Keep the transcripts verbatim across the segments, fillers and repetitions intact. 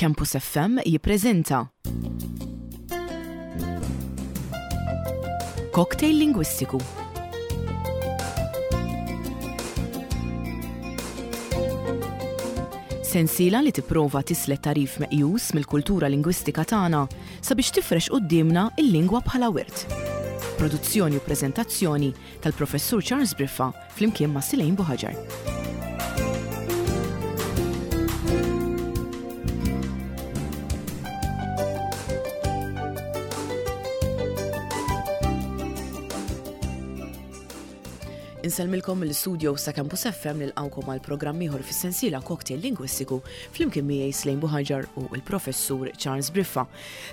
Campus F M jippreżenta Cocktail Lingwistiku. Sensiela li tipprova tislet tagħrif meqjus mill-kultura lingwistika tagħna sabiex tifrex quddiemna il-lingwa bħala wirt. Produzzjoni u preżentazzjoni tal-Professur Charles Briffa flimkien ma' Silejn Buħaġar. Insellmilkom mill-studio sa' Campus F M, nilqawkom għal programm ieħor fis-sensiela Cocktail Lingwistiku flimkien miegħi Slejn Buħaġar u l-Professur Charles Briffa.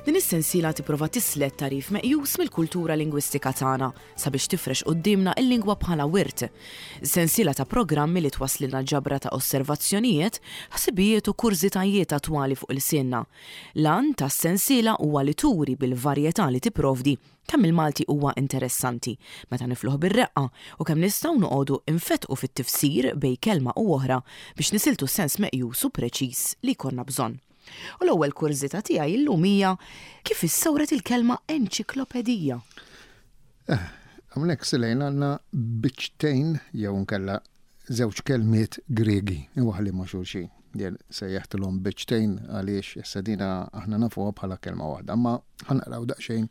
Din is-sensiela tipprova tislet tagħrif meqjus mill-kultura lingwistika tagħna sabiex tifrex quddiemna il-lingwa bħala wirt. Sensiela ta' programmi li twaslilna ġabra ta' osservazzjonijiet, ħsibijiet u kurżitajiet attwali fuq ilsienna. L-għan tas-sensiela huwa li turi bil-varjetà li tipprovdi kemm il-Malti huwa interessanti meta nifluħ bir-reqqa u kemm nistgħu noqogħdu infetqu fit-tifsir bejn kelma u oħra biex nisiltu sens meqjus u preċiż li jkollna bżonn. U l-ewwel kurżità tiegħi illum hija kif issawret il-kelma enċiklopedija. Eh, hawnhekk, Silejn, għandna biċċtejn jew nkella żewġ kelmiet Gregi imwaħħlin ma' xulxin. Jien sejjaħtilhom biċċtejn għaliex issa dina aħna nafuha bħala kelma waħda, ma ħa naqraw daqsxejn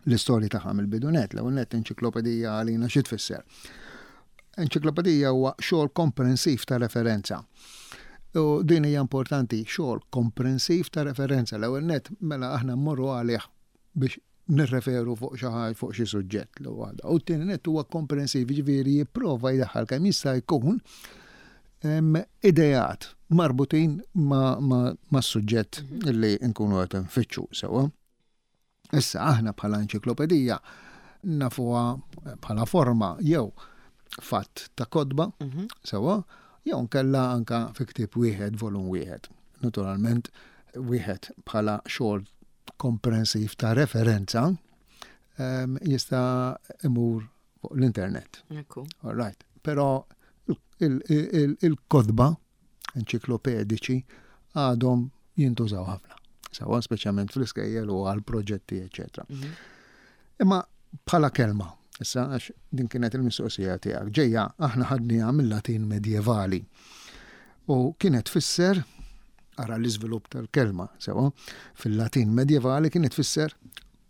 l-istorja tagħha mill-bidu nett. L-ewwel nett, enċiklopedija għalina xi tfisser? Enċiklopedija huwa xogħol komprensiv ta' referenza. U din hija importanti, xogħol komprensiv ta' referenza. L-ewwel nett, mela aħna mmorru għalih biex nirreferu fuq xi ħaġa, fuq xi suġġett l waħda. U t-tieni nett, huwa komprensiv, ġifieri jipprova jdaħħal kemm jista' jkun ideat marbutin ma', ma, ma suġġett li nkunu qed nfittxu sewwa. Issa aħna bħala enċiklopedija nafuha bħala forma jew fatt ta' kotba, mhm. sewwa, jew nkella anka fi ktieb wieħed, volum wieħed. Naturalment, wieħed bħala xogħol komprensiv ta' referenza jista' imur fuq l-internet. All right. Però il-kotba enċiklopediċi għadhom jintużaw ħafna. Sewwa, speċjalment fl-iskejjel u għal proġetti, eċetera. Mhm. Imma bħala kelma, issa għax din kienet il-mistoqsija tiegħek, ġejja, aħna ħadniha mill-Latin medjevali. U kienet tfisser, ara l-iżvilupp tal-kelma, sewwa, fil-Latin medjevali kienet tfisser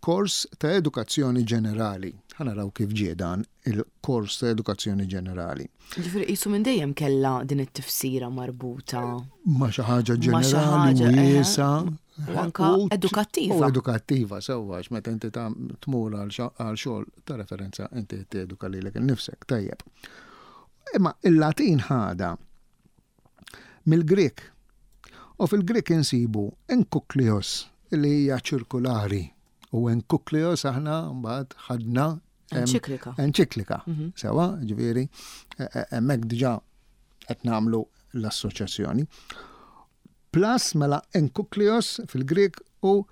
kors ta' edukazzjoni ġenerali. Ħa naraw kif ġie dan il-kors ta' edukazzjoni ġenerali. Ġifieri qisu minn dejjem kellha din it-tifsira marbuta ma' xi ħaġa ġenerali, wiesgħa. U anka edukattiva. U edukattiva, sewwa, meta inti tmur għal xogħol ta' referenza, inti teduka lilek innifsek, tajjeb. Imma il-Latin ħadha mill-Grek. U fil-Grek insibu enkuklios, li hija ċirkulari. U enkuklios aħna mbagħad ħadna Enċiklika. Enċiklika. Mhm. Sewwa, ġifieri, e, e, hemmhekk diġà qed nagħmlu l-assoċjazzjoni. Plus mela enkuklios fil-Grek u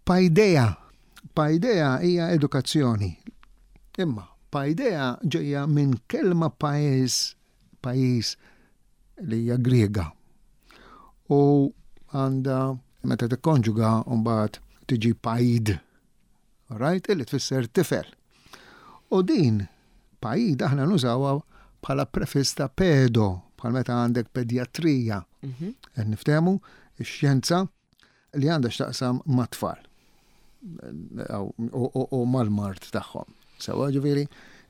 paideia. Paideia hija edukazzjoni. Imma paideia ġejja minn kelma pajjiż, pajjiż li hija Griega. U għandha meta tikkonġuga mbagħad tiġi paid. Right? Illi tfisser tifel. U din paid aħna nużawha bħala prefiss ta' pedo, bħal meta għandek pedjatrija. Mhm. Qed niftehmu ix-xjenza li għandha x'taqsam mat-tfal u mal-mard tagħhom. Sewwa, ġifieri,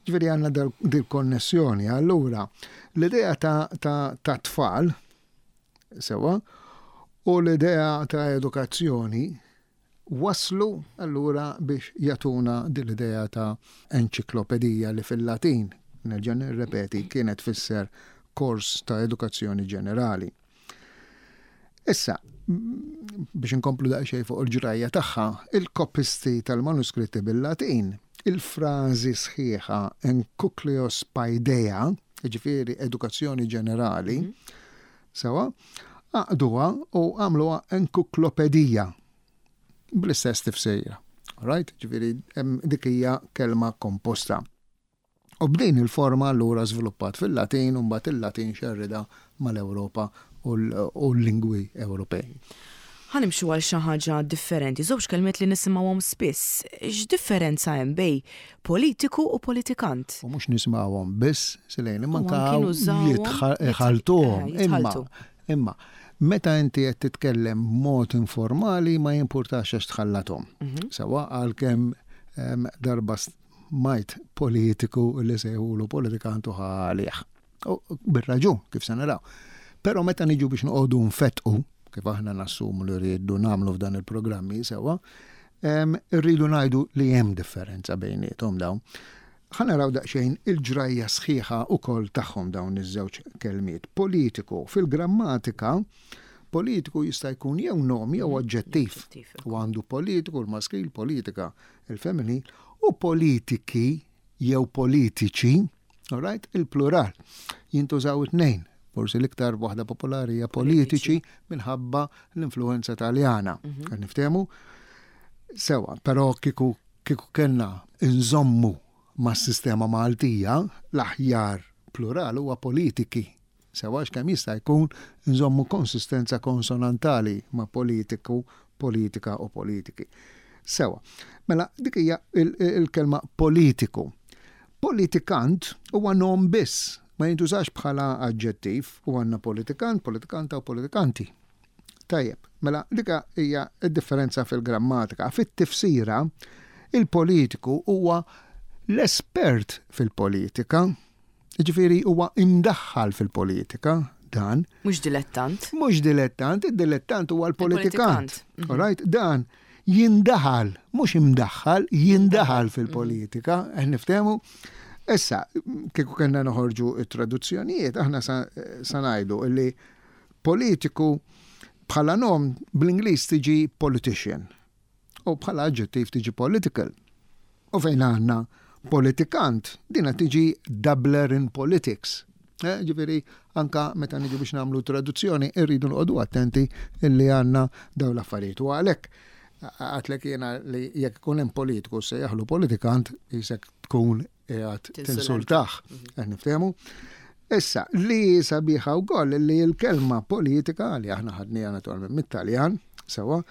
ġifieri għandna dil-konnessjoni. Allura, l-idea ta', ta, ta' tfal, sewwa, u l-idea ta' edukazzjoni waslu allura biex jagħtuna dil-idea ta' enċiklopedija li fil-Latin, nerġa' nirrepeti, kienet tfisser kors ta' edukazzjoni ġenerali. Issa, biex inkomplu daqsxejn fuq il-ġrajja tagħha, il-kopisti tal-manuskritti bil-Latin, il-frażi sħiħa enkuklios paideia, ġifieri edukazzjoni ġenerali, mm sewwa, għaqduha u għamluha enkuklopedija bl-istess tifsira. Right? Ġifieri, dik hija kelma komposta. U b'din il-forma allura żviluppat fil-Latin u mbagħad il-Latin xerrida mal-Ewropa u l-lingwi Ewropej. Ħa nimxu għal xi ħaġa differenti, żewġ kelmiet li nisimgħuhom spiss. X'differenza hemm bejn politiku u politikant? U mhux nisimgħuhom biss, Silejn, imma U anka anki nużawhom, jitħaltuhom. jit- eh, Imma, jitħaltu. imma, meta inti qed titkellem mod informali ma jimpurtax għax tħallathom. Sewwa, għalkemm em, darba smajt politiku li sejħulu politikantu għalih. U bir-raġun, kif se naraw. Però meta niġu biex noqogħdu nfettqu, kif aħna nassumu li rridu nagħmlu f'dan il-programmi sewwa, em, irridu ngħidu li hemm differenza bejniethom dawn. Ħa naraw daqsxejn il-ġrajja sħiħa ukoll tagħhom dawn iż-żewġ kelmiet. Politiku fil-grammatika, politiku jista' jkun jew nom jew oġġettiv. Oġġettiv. U għandu politiku l-maskil, politika il-femminil, u politiki jew politiċi, all right, il-plural. Jintużaw it-tnejn. Forsi l-iktar waħda popolari hija politiċi minħabba l-influenza taljana. Mm Niftehmu? Sewwa, però kieku kieku kellna nżommu mas-sistema Maltija, l-aħjar plural huwa politiki. Sewwa, kemm jista' jkun nżommu konsistenza konsonantali ma' politiku, politika u politiki. Sewwa, mela dik hija il-kelma politiku. Politikant huwa nom biss, ma jintużax bħala aġġettiv, u għandna politikant, politikanta u politikanti. Tajjeb, mela dik hija d-differenza fil-grammatika. Fit-tifsira, il-politiku huwa l-espert fil-politika, ġifieri huwa imdaħħal fil-politika, dan. Mhux dilettant. Mhux dilettant, id-dilettant huwa l-politikant. Mhm. All right, dan jindaħal, mhux imdaħħal, jindaħal fil-politika, mm niftehmu. Issa, kieku kellna noħorġu it-traduzzjonijiet, aħna sa ngħidu illi politiku bħala nom bl-Ingliż tiġi politician u bħala aġġettiv tiġi political. U fejn għandna politikant, dina tiġi dabbler in politics. Eh, ġifieri, anka meta niġu biex nagħmlu traduzzjoni, irridu noqogħdu attenti illi għandna dawn l-affarijiet. U għalhekk għedtlek jiena li jekk ikun hemm politiku se jaħlu politikant, jisek tkun qiegħed tinsultah. Mhm. Niftehmu? Issa, li sabiħa wkoll li l-kelma politika li aħna ħadniha naturalment mit-Taljan, sewwa,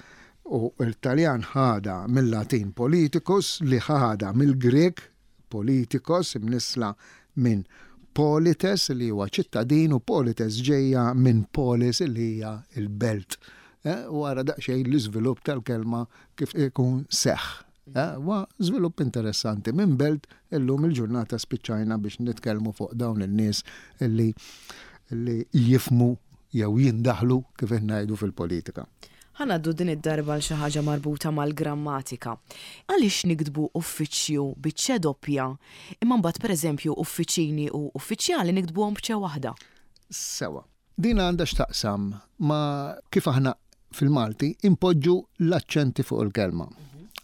u l-Taljan ħada mill-Latin politicus li ħada mill-Grek politikos, imnisla minn polites li huwa ċittadin, u polites ġejja minn polis li hija il-belt. Eh, u għara daqsxejn l-iżvilupp tal-kelma kif ikun seħ. Eh, wa żvilupp interessanti minn belt illum il-ġurnata spiċċajna biex nitkellmu fuq dawn in-nies li li jifhmu jew jindaħlu, kif ngħidu, fil-politika. Ħa ngħaddu din id-darba l xi ħaġa marbuta mal-grammatika. Għaliex niktbu uffiċċju biċ-ċe doppja, imma mbagħad, pereżempju, uffiċini u uffiċjali niktbuhom b'ċe waħda? Sewwa. Din għandha x'taqsam ma' kif aħna fil-Malti impoġġu l-aċċenti fuq il-kelma.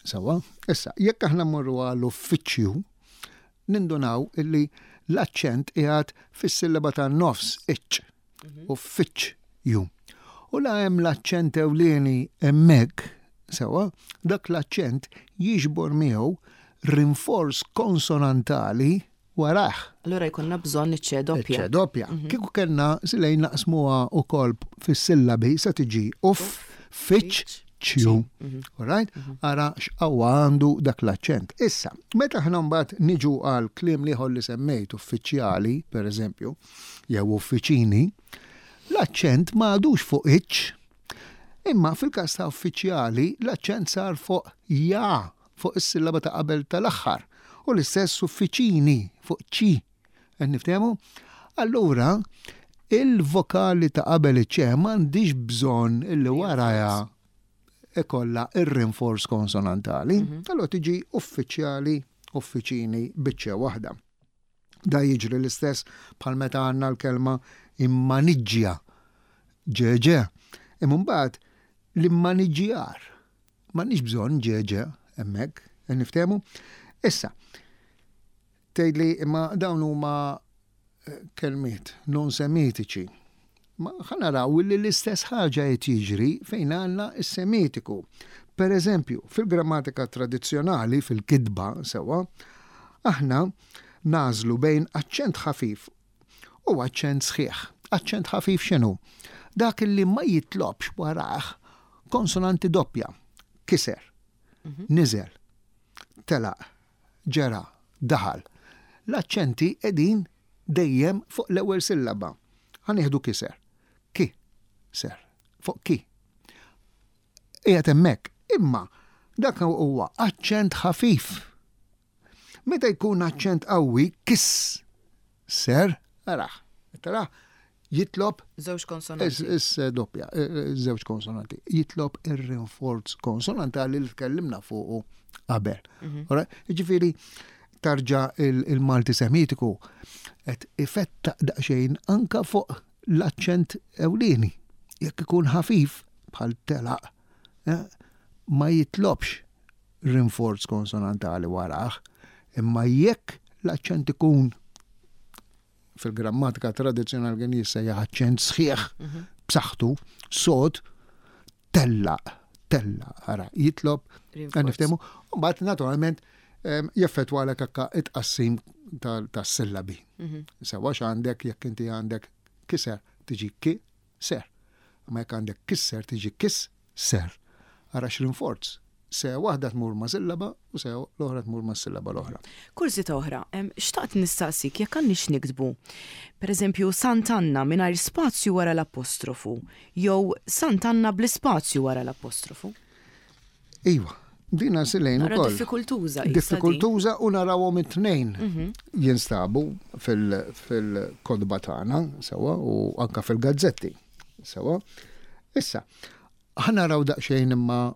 Sewwa, issa, jekk aħna mmorru għall-uffiċċju, nindunaw illi l-aċċent qiegħed fis-sillaba tan-nofs, iċ, uffiċċju. U la hemm l-aċċent ewlieni hemmhekk, sewwa, dak l-aċċent jiġbor miegħu rinforz konsonantali warah. Allura jkollna bżonn iċ-ċe doppja. Ċe doppja. Kieku kellna silej naqsmuha ukoll fis-sillabi, sa tiġi uff, fiċ, ċju. Alright? Ara x'qawwa għandu dak l-aċċent. Issa, meta aħna mbagħad niġu għal kliem l-ieħor li semmejt, uffiċjali, per eżempju, jew uffiċini, l-aċċent ma għadux fuq iċ, imma fil-każ ta' uffiċjali l-aċċent sar fuq ja, fuq is-sillaba ta' qabel tal-aħħar. U l-istess uffiċini fuq ċi. Qed niftehmu? Allura, il-vokali ta' qabel iċ m'għandix bżonn illi waraja ikolla ir-rinforz konsonantali. Allura tiġi uffiċjali, uffiċini biċ-ċe waħda. Da jiġri l-istess bħal meta għandna l-kelma immaniġġja. Ġeġe. Imma mbagħad l-immaniġġjar. M'għandniex bżonn ġeġe hemmhekk, niftehmu? Issa, tgħidli imma dawn huma eh, kelmiet non semitiċi. Ma ħa naraw li l-istess ħaġa qed jiġri fejn għandna s-semitiku. Per eżempju, fil-grammatika tradizzjonali, fil-kitba sewwa, aħna nagħżlu bejn aċċent ħafif u aċċent sħiħ. Aċċent ħafif x'inhu? Dak li ma jitlobx warah Konsonanti doppja, kiser, Mhm. niżel, telaq, ġera, daħal. L-aċċenti qegħdin dejjem fuq l-ewwel sillaba. Ħa nieħdu kiser. Ki, ser, fuq ki. Qiegħed hemmhekk, imma dak huwa aċċent ħafif. Meta jkun aċċent qawwi, kiss, ser, araħ, tara, jitlob Żewġ konsonanti. Is, is doppja, eh, eh, żewġ konsonanti. Jitlob ir-rinforz konsonantali li tkellimna fuqu qabel. Mhm. Ora, Ġifieri, tarġa il- il-Malti Semitiku qed ifetta daqsxejn anka fuq l-aċċent ewlieni. Jekk ikun ħafif bħal telaq, eh, ma jitlobx rinforz konsonantali warah, imma jekk l-aċċent ikun fil-grammatika tradizzjonali kien jissejjaħ aċċent sħiħ Mhm. b'saħħtu, sod, tellaq, tellaq, ara, jitlob, Rinforz. niftehmu, u mbagħad naturalment em, jeffettwa għalek akka it-qassim tas-sillabi. Mhm. Sewa għandek jekk inti għandek kiser tiġi ki ser. Ma jekk għandek kisser tiġi kis ser. Ara x'rinforz. Se waħda tmur ma' sillaba u se l-oħra tmur ma' sillaba l-oħra. Kurżità oħra, em, xtaqt nistaqsik jekk għandniex niktbu, per eżempju, Sant'Anna mingħajr spazju wara l-apostrofu, jew Sant'Anna bl-ispazju wara l-apostrofu. Iva, dina silejn Nara ukoll. diffikultuża. issa din. Diffikultuża u narawhom it-tnejn Mhm. jinstabu fil- fil-kotba tagħna sewa u anka fil-gazzetti sewa. Issa, ħa naraw daqsxejn imma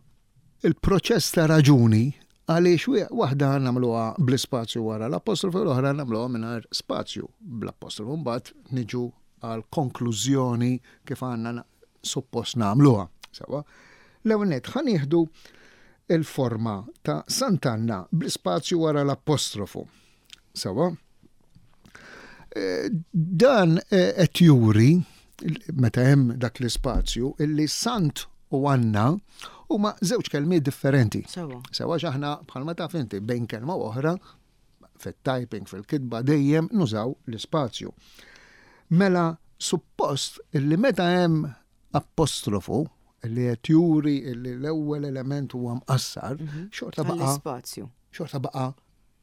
il-proċess ta' raġuni għaliex wi- waħda nagħmluha bl-ispazju wara l-apostrofu u l-oħra nagħmluha mingħajr spazju bl-apostrofu. Mbagħad niġu għal konklużjoni kif għandna na- suppost nagħmluha. Sewa. L-ewwel nett ħa nieħdu il-forma ta' Sant'Anna bl-ispazju wara l-apostrofu. Sewa. Eh, Dan eh, qed juri meta hemm dak l-ispazju illi Sant u Anna huma żewġ kelmiet differenti. Sewa. Sewa x'aħna bħalma taf inti bejn kelma u oħra fit-typing, fil-kitba dejjem nużaw l-ispazju. Mela suppost illi meta hemm apostrofu illi qed juri illi l-ewwel element huwa mqassar, xorta baqa' Għall-ispazju. xorta baqa'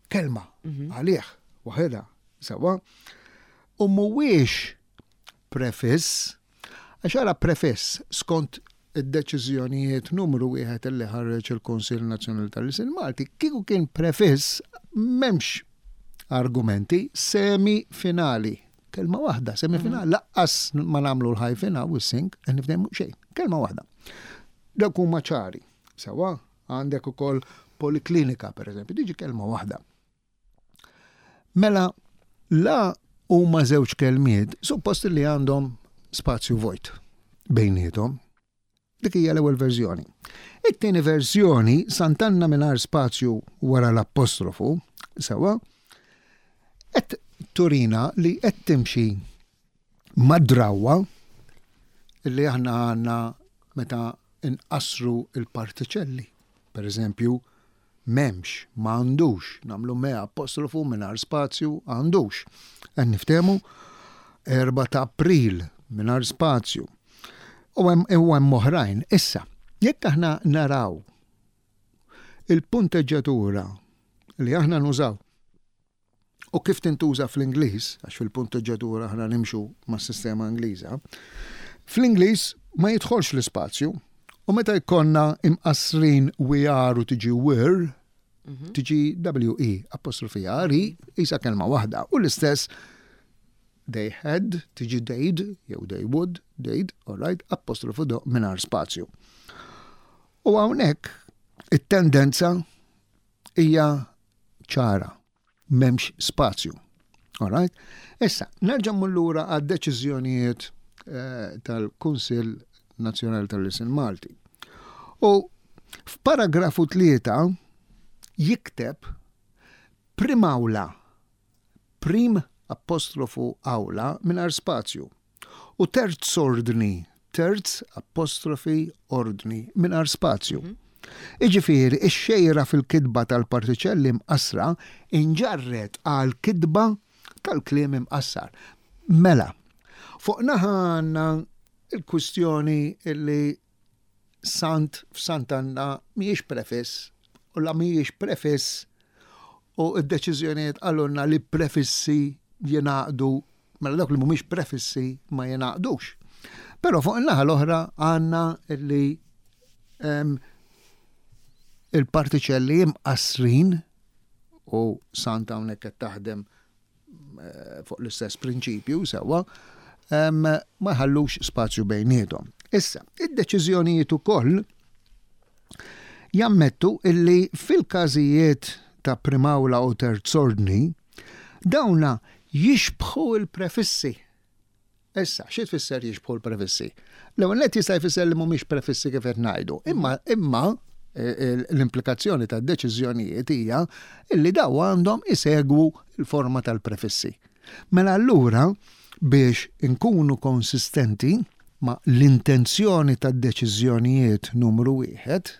kelma għalih waħedha sewa. U mhuwiex prefiss, għax ara prefiss skont id-deċiżjonijiet numru wieħed illi ħareġ il-Kunsill Nazzjonali tal-Ilsien Malti, kieku kien prefiss m'hemmx argumenti semi finali. Kelma waħda, semi finali, lanqas ma nagħmlu l-hyphen u s-sing, nifdemu xejn, kelma waħda. Dak huma ċari. Sewa, għandek ukoll poliklinika, per eżempju, tiġi kelma waħda. Mela, la huma żewġ kelmiet, suppost li għandhom spazju vojt bejniethom. Dik hija l-ewwel verżjoni. It-tieni verżjoni, Sant'Anna mingħajr spazju wara l-apostrofu, sewa, qed turina li qed timxi mad-drawwa li aħna għandna meta inqasru il-partiċelli. Per eżempju, m'hemmx, m'għandux, nagħmlu me apostrofu mingħajr spazju, għandux. Qed niftehmu erba' ta' April mingħajr spazju. U hemm u hemm oħrajn. Issa, jekk aħna naraw il-punteġġatura li aħna nużaw u kif tintuża fl-Ingliż, għax fil-punteġġatura aħna nimxu mas-sistema Ingliża, fl-Ingliż ma jidħolx l-ispazju u meta jkollna imqasrin we are u tiġi were, tiġi W E apostrofi R E isa kelma waħda. U l-istess they had tiġi they'd jew they would, they'd, all right, apostrofu do mingħajr spazju. U hawnhekk it-tendenza hija ċara, m'hemmx spazju. All right? Issa, nerġa' mmur lura għad-deċiżjonijiet eh, tal-Kunsill Nazzjonali tal-Ilsien Malti. U f'paragrafu tlieta jikteb primawla, prim apostrofu awla mingħajr spazju u terz ordni, terz apostrofi ordni mingħajr spazju. Iġifieri, ix-xejra fil-kitba tal-partiċelli mqassra inġarret għal kitba tal-kliem imqassar. Mela, fuq naħa għandna il-kwistjoni illi Sant f'Sant'Anna mhijiex prefiss u la mhijiex prefiss u d-deċiżjonijiet qalulna li prefissi jingħaqdu, mela dawk li mhumiex prefissi ma jingħaqdux. Però fuq in-naħa l-oħra għandna li il-partiċelli imqassrin u Sant hawnhekk qed taħdem eh, fuq l-istess prinċipju sewwa, ma jħallux spazju bejniethom. Issa, id-deċiżjonijiet ukoll jammettu illi fil-każijiet ta' primawla u terzordni dawna jixbħu il-prefissi. Issa, xi tfisser jixbħu l-prefissi? L-ewwel nett jista' jfisser li mhumiex prefissi kif qed ngħidu, imma imma e, e, l-implikazzjoni tad-deċiżjonijiet hija illi daw għandhom isegwu l-forma tal-prefissi. Mela allura biex inkunu konsistenti ma l-intenzjoni tad-deċiżjonijiet numru wieħed,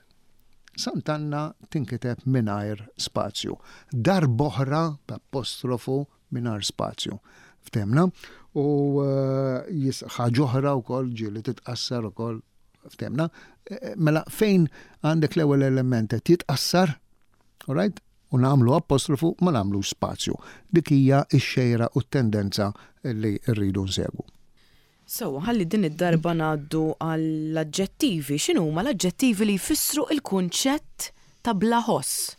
Sant'Anna tinkiteb mingħajr spazju. Darb'oħra b'apostrofu mingħajr spazju. Ftehmna? U eh, ħaġa oħra wkoll ġieli titqassar ukoll, ftehmna. Eh, mela fejn għandek l-ewwel element qed jitqassar, alright? U nagħmlu apostrofu, ma nagħmlux spazju. Dik hija x-xejra u t-tendenza li rridu nsegwu. So, ħalli din id-darba ngħaddu għall-aġġettivi. X'inhu huma l-aġġettivi li jfissru il-kunċett ta' bla ħoss?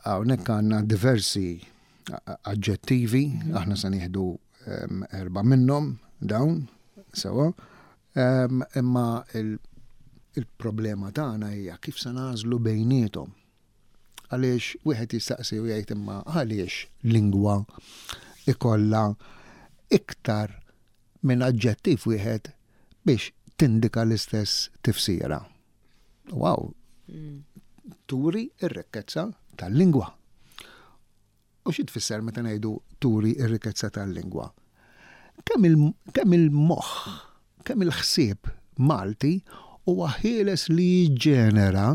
Hawnhekk għandna diversi aġġettivi, aħna se nieħdu erba' minnhom dawn, sewa. Imma il-problema tagħna hija kif se nagħżlu bejniethom. Għaliex wieħed jistaqsi u jgħid, imma għaliex lingwa ikolla iktar minn aġġettiv wieħed biex tindika l-istess tifsira? Wow, turi ir-rikkezza tal-lingwa. U xi tfisser meta ngħidu turi ir-rikkezza tal-lingwa? Kemm il-moħħ, kemm il-ħsieb Malti huwa ħieles li jiġġenera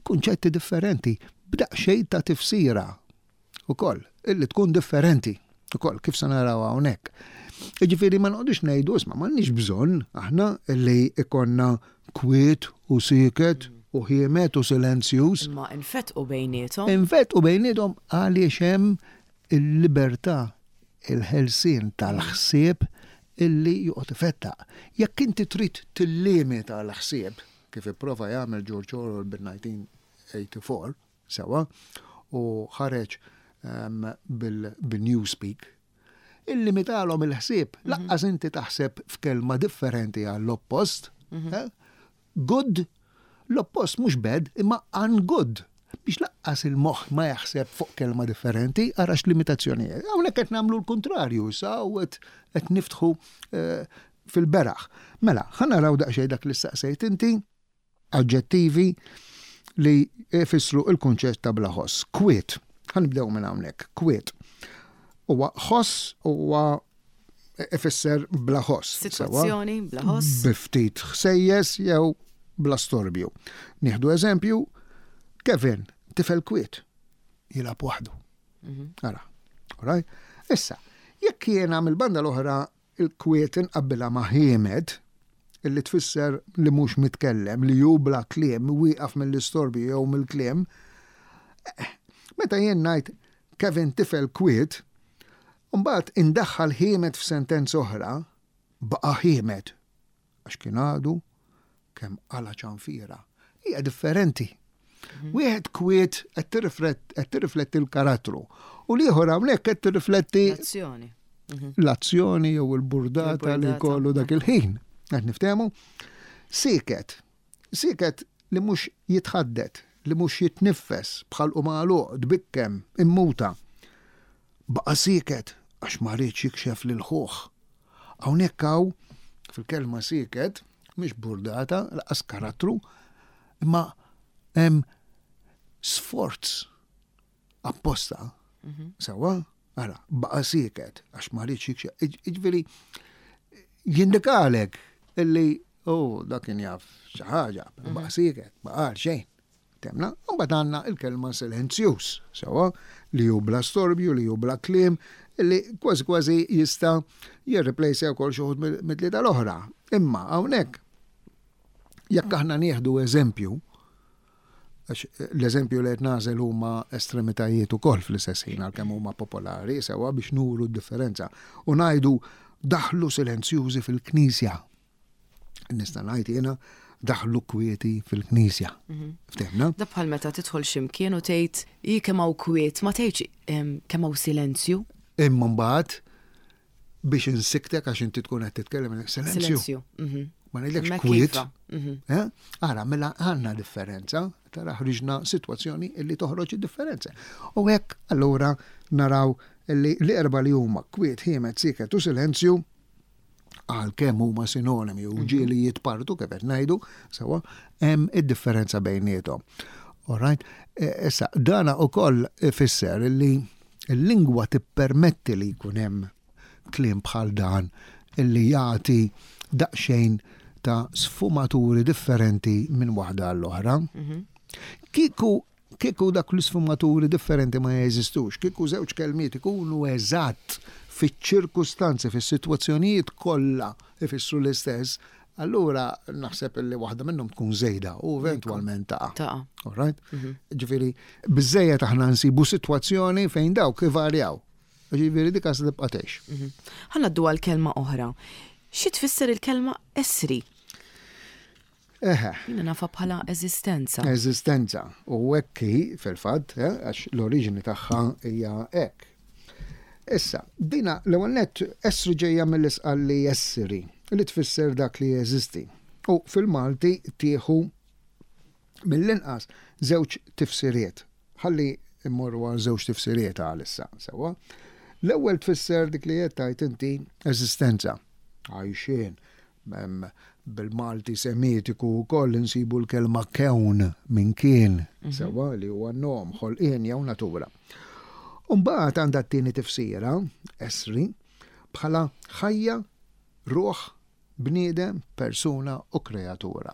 kunċetti differenti b'daqsxejn ta' tifsira ukoll illi tkun differenti ukoll, kif se naraw hawnhekk. Jiġifieri ma noqogħdux ngħidu, isma', m'għandniex bżonn aħna illi ikonna kwiet u sieket u ħiemet u silenzjuż. Imma infetqu bejniethom. Infetqu bejniethom għaliex hemm il-libertà, il-ħelsien tal-ħsieb illi joqgħod ifettaq. Jekk inti trid tillimita l-ħsieb, kif ipprova jagħmel George Orwell bil-elf disa' mija u erbgħa u tmenin, sewa, u ħareġ um, bil-Newspeak, illimitalhom il-ħsieb, mhm. lanqas inti taħseb f'kelma differenti għall-oppost. Mhm. Eh? Good, l-oppost mhux bad, imma ungood, biex lanqas il-moħħ ma jaħseb fuq kelma differenti, għarax limitazzjonijiet. Hawnhekk qed nagħmlu l-kontrarju, sa u qed niftħu eh, fil-beraħ. Mela, ħa naraw daqsxejn dak li staqsejt inti, aġġettivi li jfissru il-kunċett ta' bla ħoss. Kwiet, ħa nibdew minn hawnhekk, kwiet. Huwa ħoss, huwa ifisser bla ħoss. Sitwazzjoni bla ħoss. Bi ftit ħsejjes jew bla storbju. Nieħdu eżempju, Kevin, tifel kwiet, jilgħab waħdu. Mhm. Ara, right? Issa, jekk jiena mill-banda l-oħra il-kwiet inqabbilha ma' ħiemed, illi tfisser li mhux mitkellem, li ju bla kliem, wieqaf mill-istorbju jew mill-kliem, eh, meta jien ngħid Kevin tifel kwiet, mbagħad indaħħal ħiemed f'sentenza oħra, baqa' ħiemed, għax kien għadu kemm qala ċanfira. Hija differenti. Mhm. Wieħed kwiet qed tirrifletti l-karattru u l-ieħor hawnhekk qed tirrifletti l-azzjoni. Mhm. L-azzjoni jew il-burdata li kollu dak il-ħin. Qed niftehmu? Siket. Siket li mhux jitħaddet, li mhux jitniffes, bħal u magħluq, tbikkem, immuta. Baqa' siket għax ma riedx jikxef lil ħuh. Hawnhekk hawn fil-kelma siket mhix burdata, lanqas karattru, imma hemm sforz apposta. Mhm. Sewa, ara, baqa' siket għax ma riedx jikxef. Jiġifieri jindikalek illi oh, dak kien jaf xi ħaġa, mhm. baqa' siket, baqa' xejn. Temna, u mbagħad għandna il-kelma silenzjuż, sewa, li hu bla storbju, li hu bla kliem, li kważi kważi jista' jirreplace wkoll xi wħud mit-tlieta l-oħra. Imma hawnhekk Jekk aħna nieħdu eżempju, għax l-eżempju li qed nagħżel huma estremitajiet ukoll fl-istess ħin għalkemm huma popolari, sewwa, biex nuru d-differenza. U ngħidu daħlu silenzjużi fil-knisja. Nista' ngħid jiena daħlu kwieti fil-knisja. Ftehmna? Da bħal meta tidħol x'imkien u tgħid hi kemm hawn kwiet, ma tgħidx em, kemm hawn silenzju. Imma mbagħad biex insiktek għax inti tkun qed titkellem, silenzju. Silenzju. mhm. Ma ngħidlekx Hemmhekk kwiet. iva. Mhm. Eh? Ara, mela għandna differenza, tara ħriġna situazzjoni illi toħroġ id-differenza. U hekk allura naraw illi l-erba li huma kwiet, ħiemet, siket u silenzju, għalkemm huma sinonimi u ġieli jitpartu kif qed ngħidu, sewwa, hemm id-differenza bejniethom. All right? E, Issa, dana ukoll ifisser illi l-lingwa tippermetti li jkun hemm kliem bħal dan illi jagħti daqsxejn ta' sfumaturi differenti minn waħda għall-oħra. Kieku kieku dak l-sfumaturi differenti ma jeżistux, kieku żewġ kelmiet ikunu eżatt fiċ-ċirkustanzi, fis-sitwazzjonijiet kollha ifissru l-istess, allura naħseb li waħda minnhom tkun żejda u eventwalment taqa'. Taqa'. All right? Ġifieri, biżejjed aħna nsibu sitwazzjoni fejn dawk ivarjaw. Ġifieri dik se tibqa' tgħix. Ħa ngħaddu għal kelma oħra. Xi tfisser il-kelma esri? Eħe. Jiena nafha bħala eżistenza. Eżistenza. U hekk hi fil-fatt, eh, għax l-oriġini tagħha hija hekk. Issa, dina l-ewwel nett esri ġejja mill-Isqalli essiri, li tfisser dak li jeżisti. U fil-Malti tieħu mill-inqas żewġ tifsiriet. Ħalli immorru għal żewġ tifsiriet għalissa, sewwa. L-ewwel tfisser dik li qed tgħid inti, eżistenza. Għajxien, Mem, bil-Malti semitiku wkoll insibu l-kelma kewn minn kien, sewwa, li huwa nom, ħolqien jew natura. Umbagħad għandha t-tieni tifsira, esri, bħala ħajja, ruħ, bniedem, persuna u kreatura.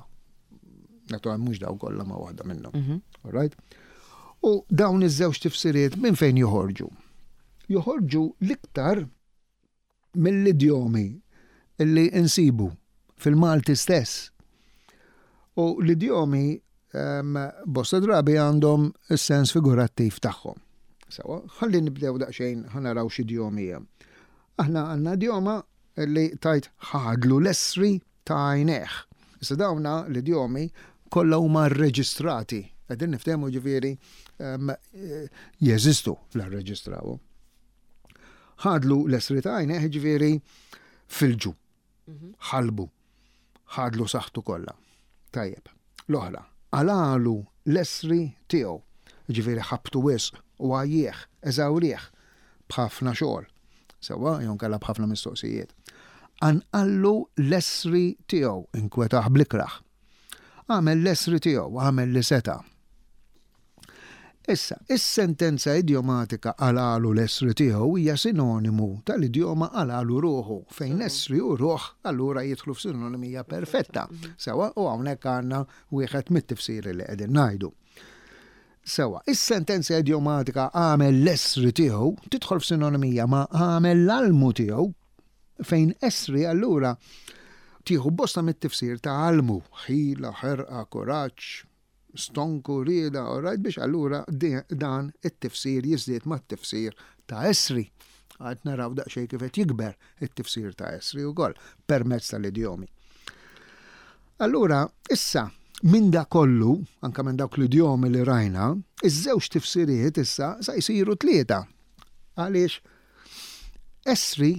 Naturalment mhux daw kollha, ma waħda minnhom. All right? U dawn iż-żewġ tifsiriet minn fejn joħorġu? Joħorġu l-iktar mill-idjomi illi insibu fil-Malti stess. U l-idjomi um, bosta drabi għandhom is-sens figurattiv tagħhom. Sewwa, ħalli nibdew daqsxejn, ħa naraw x'idjomi hemm. Aħna għandna idjoma li tgħid ħadlu l-esri ta' għajnejh. Issa dawna l-idjomi kollha huma rreġistrati. Qegħdin niftehmu, ġifieri um, jeżistu l-reġistraw. Ħadlu l-esri ta' għajnejh, ġifieri filġu, ħalbu, ħadlu saħħtu kollha. Tajjeb. L-oħra, qalagħlu l-esri tiegħu, ġifieri ħabtu wisq u għajjieħ, eżawrih b'ħafna xogħol. Sewwa, jew inkella b'ħafna mistoqsijiet. Qanqallu l-esri tiegħu, inkwetah bl-ikrah. Għamel l-esri tiegħu, għamel li seta'. Issa, is-sentenza idjomatika qalagħlu l-esri tiegħu hija sinonimu tal-idjoma qalagħlu ruħu, fejn esri u ruħ allura jidħlu f'sinonimija perfetta. Sewwa, u hawnhekk għandna wieħed mit-tifsiri li qegħdin ngħidu. Sewwa, is-sentenza idjomatika għamel l-esri tiegħu tidħol f'sinonimija ma' għamel l-almu tiegħu, fejn esri allura tieħu bosta mit-tifsir ta' almu, ħila, ħerqa, kuraġġ, stonku, rieda, all right, biex allura di- dan it-tifsir jiżdied mat-tifsir ta' esri. Għad naraw daqsxejn kif qed jikber it-tifsir ta' esri wkoll permezz tal-idjomi. Allura, issa, minn da kollu, anka minn dawk l-idjomi li rajna, iż-żewġ tifsiriet issa sa jsiru tlieta. Għaliex esri,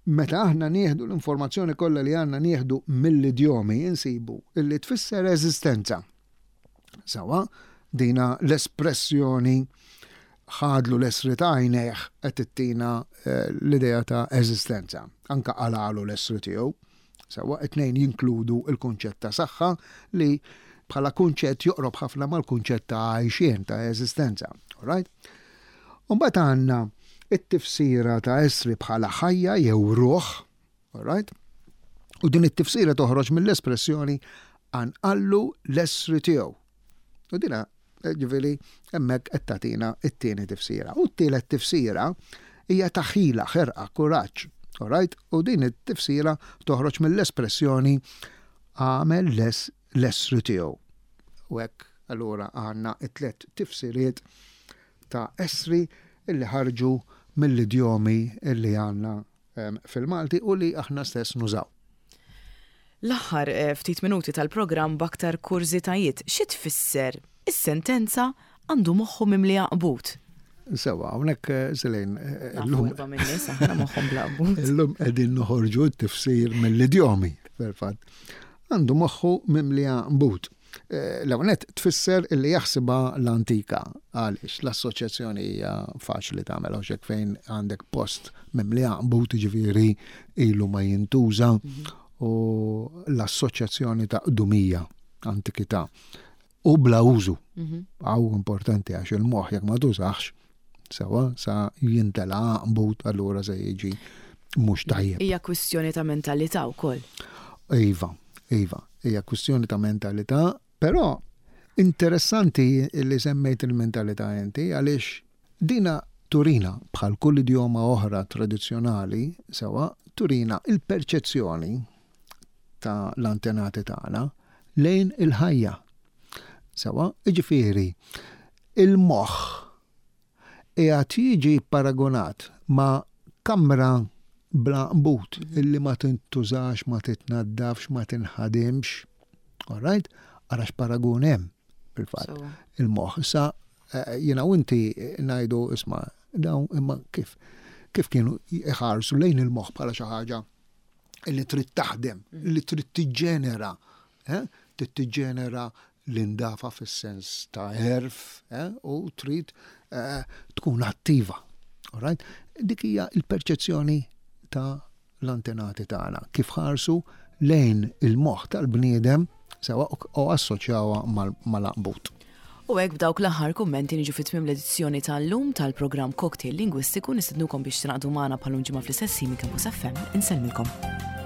meta aħna nieħdu l-informazzjoni kollha li għandna nieħdu mill-idjomi, insibu illi tfisser eżistenza. Sewwa, dina l-espressjoni ħadlu l-esri ta' għajnejh qed ittina eh, l-idea ta' eżistenza. Anka qalagħlu l-esri tiegħu. Sewwa, it-tnejn jinkludu il-kunċett ta' saħħa li bħala kunċett joqrob ħafna mal-kunċett ta' għajxien, ta' eżistenza. All right? Umbagħad għandna it-tifsira ta' esri bħala ħajja jew ruħ, all right? U din it-tifsira toħroġ mill-espressjoni qanqallu l-esri tiegħu. U dina, eh, ġifieri, hemmhekk qed tagħtina it-tieni tifsira. U t-tielet tifsira hija ta' ħila, ħerqa, kuraġġ. All right? U din it-tifsira toħroġ mill-espressjoni Għamel l-essri tiegħu. U hekk allura għandna it-tlet tifsiriet ta' essri illi ħarġu mill-idjomi illi għandna fil-Malti u li aħna stess nużaw. L-aħħar eh, ftit minuti tal-programm b'aktar kurżitajiet, xi tfisser is-sentenza "għandu moħħu mimli għanqbut"? Sewa, hawnhekk eh, Selin, eh, illum moħħhom bla. Illum qegħdin noħorġu t-tifsir mill-idjomi, fil-fatt. Għandu moħħu mimli għanqbut. Eh, l-ewwelnett tfisser illi jaħsibha l-antika, għaliex l-assoċjazzjoni hija faċli tagħmel hawnhekk fejn għandek post mimli għanqbut, ġifieri ilu ma jintuża mhm. u l-assoċjazzjoni ta' qdumija, antikità u bla użu. Mhm. Għaw importanti għax il-moħħ jekk ma tużax, sewa sa jintela għanqbut, allura se jiġi mhux tajjeb. Hija kwistjoni ta' mentalità wkoll. Iva, iva, hija kwistjoni ta' mentalità, però interessanti li semmejt il-mentalità inti għaliex dina turina, bħal kull idjoma oħra tradizzjonali, sewa, turina il-perċezzjoni ta' l-antenati tagħna lejn il-ħajja. Sewa, iġifieri, il-moħħ qiegħed jiġi paragonat ma' kamra bla għanqbut illi ma tintużax, ma titnaddafx, ma tinħadimx. All right? Ara x'paragun hemm fil-fatt. Il-moħħ. Sa eh, jiena u inti ngħidu, isma', dawn imma kif kif kienu iħarsu lejn il-moħħ bħala xi ħaġa li trid taħdem, li trid tiġġenera, eh? Trid tiġġenera l-indafa fis-sens ta' għerf eh? U trid eh, tkun attiva. All right? Dik hija il-perċezzjoni ta' l-antenati tagħna kif ħarsu lejn il-moħħ tal-bniedem, sewa, u assoċjawha mal-għanqbut. U hekk b'dawk l-aħħar kummenti niġu fi tmiem l-edizzjoni tal-lum tal-programm Cocktail Lingwistiku. Nistednukom biex tingħaqdu magħna bħal ġimgħa fl-istess minn Campus F M. Insellmilkom.